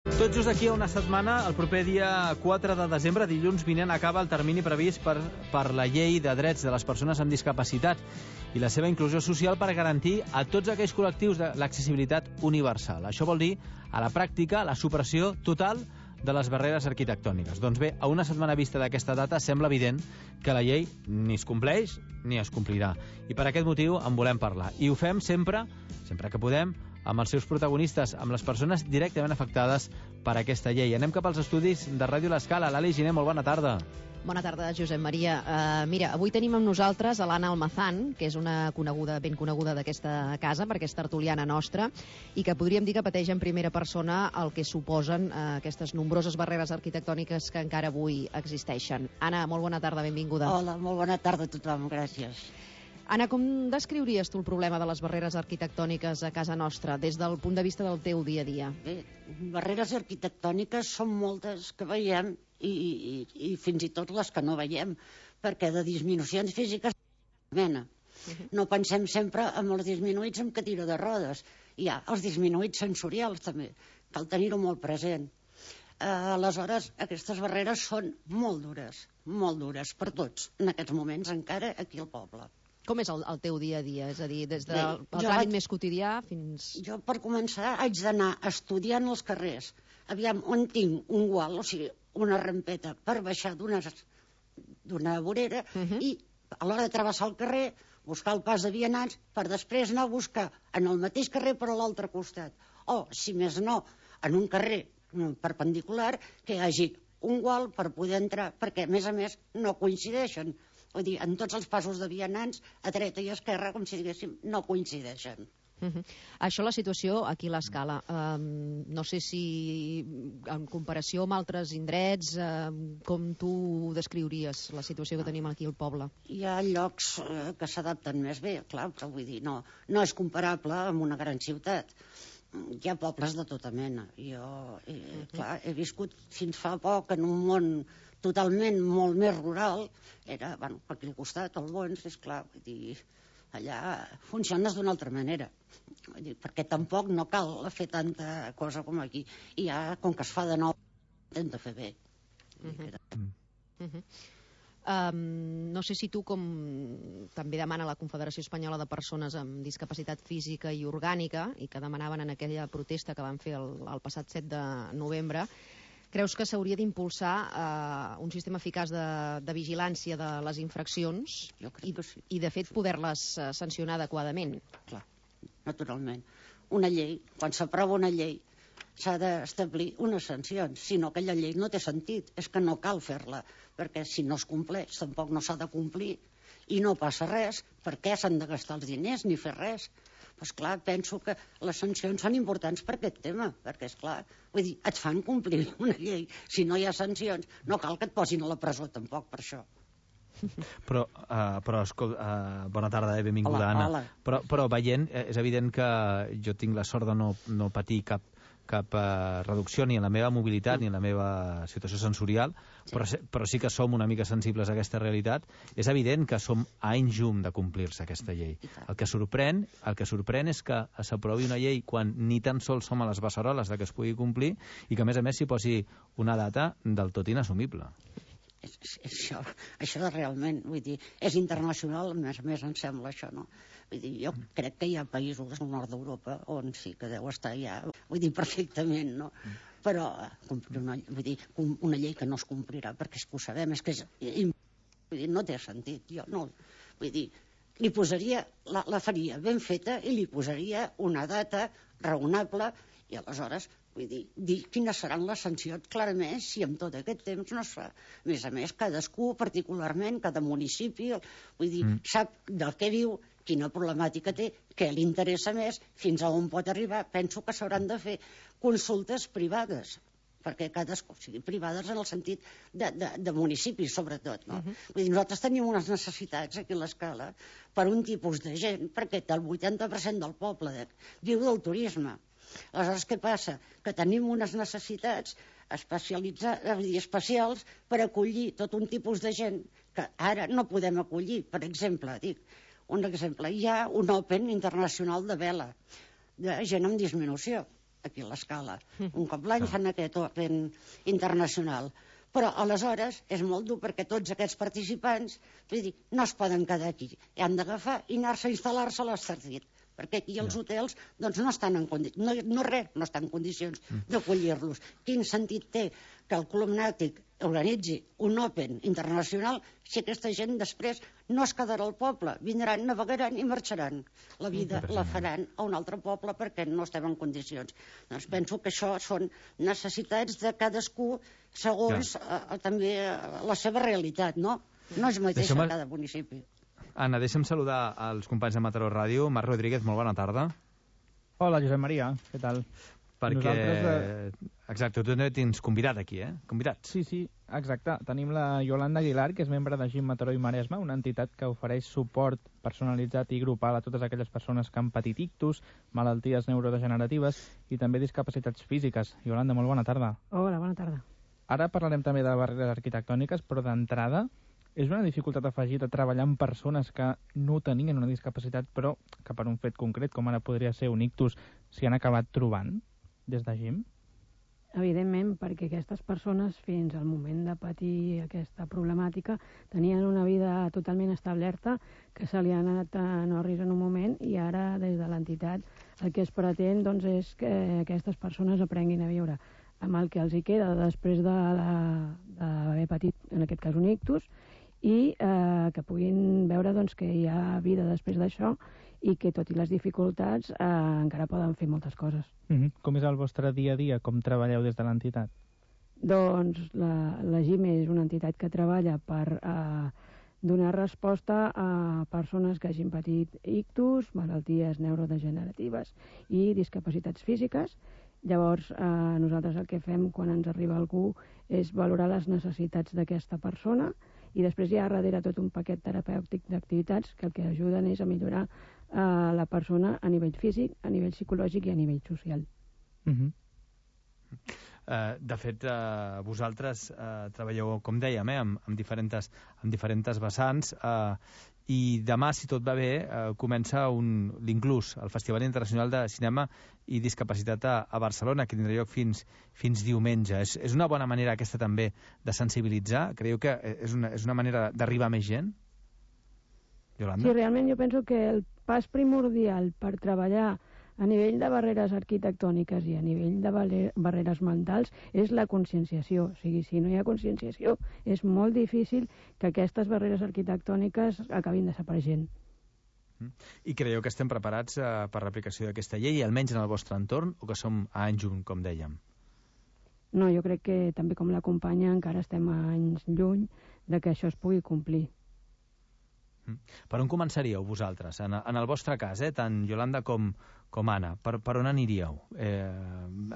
Tot just aquí a una setmana, el proper dia 4 de desembre, dilluns vinent, acaba el termini previst per la Llei de Drets de les Persones amb Discapacitat i la seva inclusió social per garantir a tots aquells col·lectius de l'accessibilitat universal. Això vol dir, a la pràctica, la supressió total de les barreres arquitectòniques. Doncs bé, a una setmana vista d'aquesta data, sembla evident que la llei ni es compleix ni es complirà. I per aquest motiu en volem parlar. I ho fem sempre que podem, amb els seus protagonistes, amb les persones directament afectades per aquesta llei. Anem cap als estudis de Ràdio L'Escala. Lali Giner, molt bona tarda. Bona tarda, Josep Maria. Mira, avui tenim amb nosaltres a l'Anna Almazán, que és una ben coneguda d'aquesta casa, perquè és tertuliana nostra, i que podríem dir que pateix en primera persona el que suposen aquestes nombroses barreres arquitectòniques que encara avui existeixen. Anna, molt bona tarda, benvinguda. Hola, molt bona tarda a tothom, gràcies. Anna, com descriuries tu el problema de les barreres arquitectòniques a casa nostra, des del punt de vista del teu dia a dia? Bé, barreres arquitectòniques són moltes que veiem i fins i tot les que no veiem, perquè de disminucions físiques mena. No pensem sempre en els disminuïts amb cadira de rodes. Hi ha els disminuïts sensorials també, cal tenir-ho molt present. Aleshores, aquestes barreres són molt dures per tots, en aquests moments encara aquí al poble. Com és el teu dia a dia? És a dir, des del tràmit més quotidià fins... Jo, per començar, haig d'anar estudiant els carrers. Aviam, on tinc un gual, o sigui, una rampeta per baixar d'una vorera i a l'hora de travessar el carrer, buscar el pas de vianants per després anar a buscar en el mateix carrer però a l'altre costat. O, si més no, en un carrer perpendicular que hi hagi un gual per poder entrar, perquè, a més, no coincideixen. Vull dir, en tots els passos de vianants, a dreta i a esquerra, com si diguéssim, no coincideixen. Això, la situació aquí a l'Escala. No sé si, en comparació amb altres indrets, com tu descriuries la situació que tenim aquí al poble? Hi ha llocs que s'adapten més bé, clar, però vull dir, no és comparable amb una gran ciutat. Hi ha pobles de tota mena. Jo, clar, he viscut fins fa poc en un món totalment molt més rural. Era, bueno, per aquí al costat, al Bons, és clar, vull dir, allà funciones d'una altra manera. Vull dir, perquè tampoc no cal fer tanta cosa com aquí. I ja, com que es fa de nou, intenta fer bé. No sé si tu, com també demana la Confederació Espanyola de Persones amb Discapacitat Física i Orgànica, i que demanaven en aquella protesta que van fer el passat 7 de novembre, creus que s'hauria d'impulsar un sistema eficaç de vigilància de les infraccions i, de fet, poder-les sancionar adequadament? Clar, naturalment. Una llei, quan s'aprova una llei, s'ha d'establir unes sancions, si no aquella llei no té sentit, és que no cal fer-la, perquè si no es compleix tampoc no s'ha de complir i no passa res. Per què s'han de gastar els diners ni fer res? Doncs clar, penso que les sancions són importants per aquest tema, perquè és clar, vull dir, et fan complir una llei, si no hi ha sancions no cal que et posin a la presó tampoc per això. Però escolta, bona tarda, benvinguda, hola, Anna. hola. Però veient, és evident que jo tinc la sort de no patir cap reducció ni en la meva mobilitat ni en la meva situació sensorial, però sí que som una mica sensibles a aquesta realitat. És evident que som a anys llum de complir-se aquesta llei. El que sorprèn és que s'aprovi una llei quan ni tan sols som a les beceroles de que es pugui complir i que a més s'hi posi una data del tot inassumible. Això realment, vull dir, és internacional, a més em sembla això, no? Vull dir, jo crec que hi ha països al nord d'Europa on sí que deu estar ja, vull dir, perfectament, no? Però, vull dir, una llei que no es complirà, perquè és que ho sabem, és que vull dir, no té sentit, jo no, vull dir, li posaria, la faria ben feta i li posaria una data raonable i aleshores, vull dir quines seran les sancions clarament si en tot aquest temps no es fa. A més, cadascú particularment, cada municipi, vull dir, sap del que viu, quina problemàtica té, què li interessa més, fins a on pot arribar. Penso que s'hauran de fer consultes privades, perquè cadascú, o sigui, privades en el sentit de municipis, sobretot, no? Vull dir, nosaltres tenim unes necessitats aquí a l'Escala per un tipus de gent, perquè el 80% del poble viu del turisme. Aleshores, què passa? Que tenim unes necessitats especials per acollir tot un tipus de gent que ara no podem acollir. Per exemple, hi ha un Open internacional de vela, de gent amb disminució. aquí a l'Escala. Un cop l'any fan aquest Open internacional. Però aleshores és molt dur perquè tots aquests participants, vull dir, no es poden quedar aquí. Han d'agafar i anar-se a instal·lar-se a l'Estartit, perquè aquí els hotels doncs, no estan en condicions, no estan en condicions d'acollir-los. Quin sentit té que el Club Nàutic organitzi un Open internacional si aquesta gent després no es quedarà al poble, vindran, navegaran i marxaran. La vida la faran a un altre poble perquè no estem en condicions. Doncs penso que això són necessitats de cadascú segons també la seva realitat, no? No és mateix a cada municipi. Anna, deixa'm saludar els companys de Mataró Ràdio. Marc Rodríguez, molt bona tarda. Hola, Josep Maria, què tal? Perquè, exacte, tu tens convidat aquí, Convidats. Sí, exacte. Tenim la Yolanda Aguilar, que és membre de GIM Mataró i Maresme, una entitat que ofereix suport personalitzat i grupal a totes aquelles persones que han patit ictus, malalties neurodegeneratives i també discapacitats físiques. Yolanda, molt bona tarda. Hola, bona tarda. Ara parlarem també de barreres arquitectòniques, però d'entrada és una dificultat afegida treballar amb persones que no tenien una discapacitat, però que per un fet concret, com ara podria ser un ictus, s'hi han acabat trobant des de GIM? Evidentment, perquè aquestes persones, fins al moment de patir aquesta problemàtica, tenien una vida totalment establerta, que se li ha anat en orris en un moment, i ara, des de l'entitat, el que es pretén doncs, és que aquestes persones aprenguin a viure amb el que els hi queda després d'haver patit, en aquest cas, un ictus, i que puguin veure doncs, que hi ha vida després d'això i que, tot i les dificultats, encara poden fer moltes coses. Com és el vostre dia a dia? Com treballeu des de l'entitat? Doncs la GIM és una entitat que treballa per donar resposta a persones que hagin patit ictus, malalties neurodegeneratives i discapacitats físiques. Llavors, nosaltres el que fem quan ens arriba algú és valorar les necessitats d'aquesta persona, i després hi ha darrere tot un paquet terapèutic d'activitats que el que ajuden és a millorar la persona a nivell físic, a nivell psicològic i a nivell social. De fet, vosaltres treballeu, com dèiem, amb diferents vessants, i demà, si tot va bé, comença l'Inclús, el Festival Internacional de Cinema i Discapacitat a Barcelona, que tindrà lloc fins diumenge. És una bona manera aquesta també de sensibilitzar? Creieu que és una manera d'arribar a més gent? Yolanda? Sí, realment jo penso que el pas primordial per treballar a nivell de barreres arquitectòniques i a nivell de barreres mentals és la conscienciació. O sigui, si no hi ha conscienciació, és molt difícil que aquestes barreres arquitectòniques acabin desapareixent. I creieu que estem preparats per l'aplicació d'aquesta llei, almenys en el vostre entorn, o que som a anys lluny, com dèiem? No, jo crec que també com la companya encara estem a anys lluny de que això es pugui complir. Per on començaríeu vosaltres? En el vostre cas, tant Yolanda com Anna, per on aniríeu?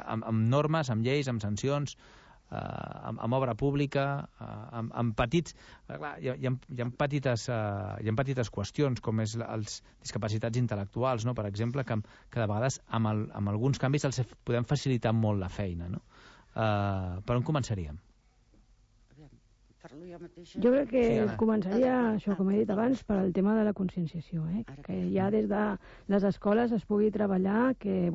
Amb normes, amb lleis, amb sancions, amb obra pública, amb petits... Clar, hi ha petites qüestions, com és els discapacitats intel·lectuals, no? Per exemple, que de vegades amb alguns canvis els podem facilitar molt la feina. No? Per on començaríem? Jo crec que començaria, això, com he dit abans, per al tema de la conscienciació, que ja des de les escoles es pugui treballar que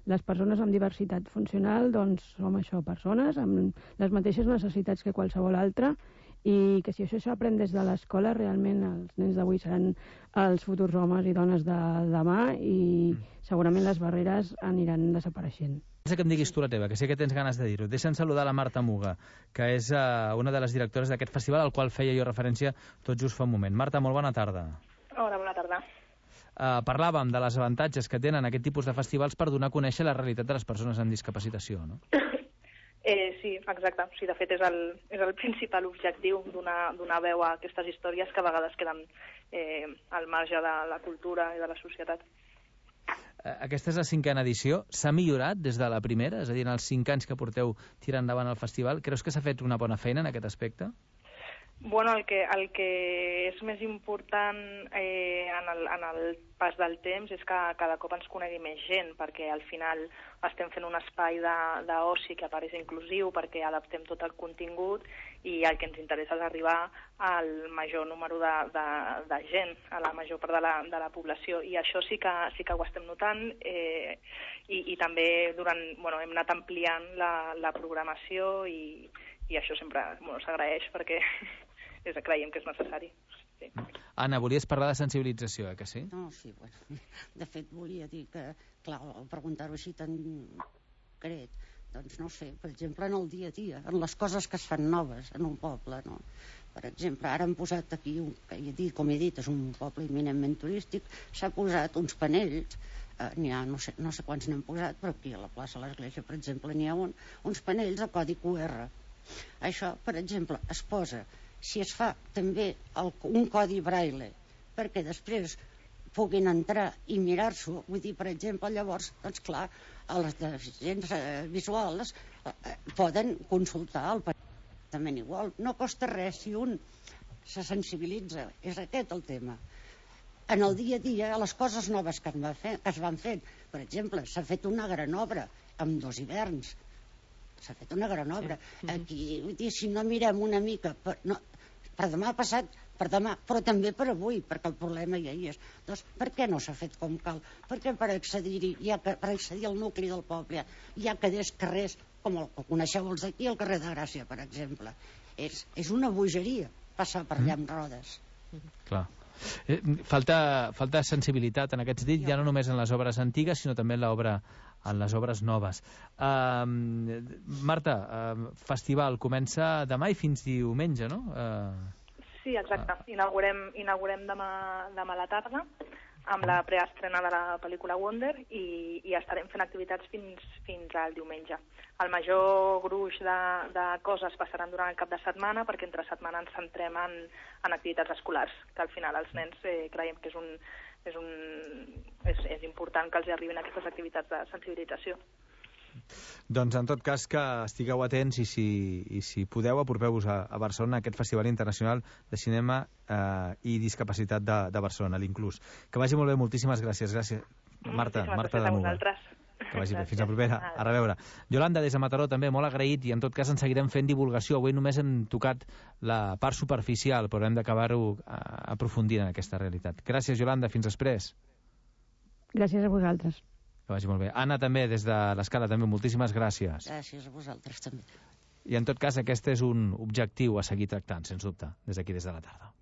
les persones amb diversitat funcional doncs som això, persones amb les mateixes necessitats que qualsevol altra, i que si això s'aprèn des de l'escola, realment els nens d'avui seran els futurs homes i dones de demà, i segurament les barreres aniran desapareixent. Que em diguis tu la teva, que sé que tens ganes de dir-ho. Deixa'm saludar la Marta Muga, que és una de les directores d'aquest festival, al qual feia jo referència tot just fa un moment. Marta, molt bona tarda. Hola, bona tarda. Parlàvem de les avantatges que tenen aquest tipus de festivals per donar a conèixer la realitat de les persones amb discapacitació, no? Sí, exacte. Sí, de fet, és el principal objectiu donar veu a aquestes històries que a vegades queden al marge de la cultura i de la societat. Aquesta és la 5a edició. S'ha millorat des de la primera? És a dir, en els 5 anys que porteu tirant endavant el festival, creus que s'ha fet una bona feina en aquest aspecte? Bueno, el que és més important en el pas del temps és que cada cop ens conegui més gent, perquè al final estem fent un espai d'oci que apareix inclusiu, perquè adaptem tot el contingut i el que ens interessa és arribar al major número de gent, a la major part de la població, i això sí que ho estem notant, i també hem anat ampliant la programació i això sempre s'agraeix perquè creiem que és necessari. Sí. Anna, volies parlar de sensibilització, que sí? No, sí, bueno, de fet volia dir que, clar, al preguntar-ho així tan concret, doncs no sé, per exemple, en el dia a dia, en les coses que es fan noves en un poble, no? Per exemple, ara han posat aquí, com he dit, és un poble eminentment turístic, s'ha posat uns panells, n'hi ha, no sé quants n'han posat, però aquí a la plaça de l'Església, per exemple, n'hi ha uns panells de codi QR. Això, per exemple, es posa, si es fa també un codi braille, perquè després puguin entrar i mirar-s'ho, vull dir, per exemple, llavors, doncs clar, a les deficients visuals poden consultar el panell igual. No costa res si un se sensibilitza, és aquest el tema. En el dia a dia, a les coses noves que es van fent, per exemple, s'ha fet una gran obra amb 2 hiverns, s'ha fet una gran obra. Aquí, vull dir, si no mirem una mica per demà passat, per demà, però també per avui, perquè el problema ja hi és. Doncs per què no s'ha fet com cal? Perquè per accedir-hi, per accedir al nucli del poble, hi ha carrers, com el coneixeu els d'aquí, el carrer de Gràcia, per exemple. És una bogeria passar per allà amb rodes. Clar. Falta sensibilitat en aquests dits, ja no només en les obres antigues, sinó també en les obres noves. Marta, festival comença demà i fins diumenge, no? Sí, exacte. Inaugurem demà a la tarda amb la preestrena de la pel·lícula Wonder i estarem fent activitats fins al diumenge. El major gruix de coses passaran durant el cap de setmana, perquè entre setmana ens centrem en activitats escolars, que al final els nens creiem que és important que els arribin aquestes activitats de sensibilització. Doncs en tot cas que estigueu atents i si podeu apropeu-vos a Barcelona a aquest Festival Internacional de Cinema i Discapacitat de Barcelona, l'Inclús. Que vagi molt bé, moltíssimes gràcies. Gràcies, Marta de Muga. Que vagi bé, fins la propera. A reveure. Yolanda, des de Mataró, també molt agraït, i en tot cas en seguirem fent divulgació. Avui només hem tocat la part superficial, però hem d'acabar-ho aprofundint en aquesta realitat. Gràcies, Yolanda, fins després. Gràcies a vosaltres. Que vagi molt bé. Anna, també, des de l'Escala, també, moltíssimes gràcies. Gràcies a vosaltres, també. I en tot cas, aquest és un objectiu a seguir tractant, sens dubte, des d'aquí, des de la tarda.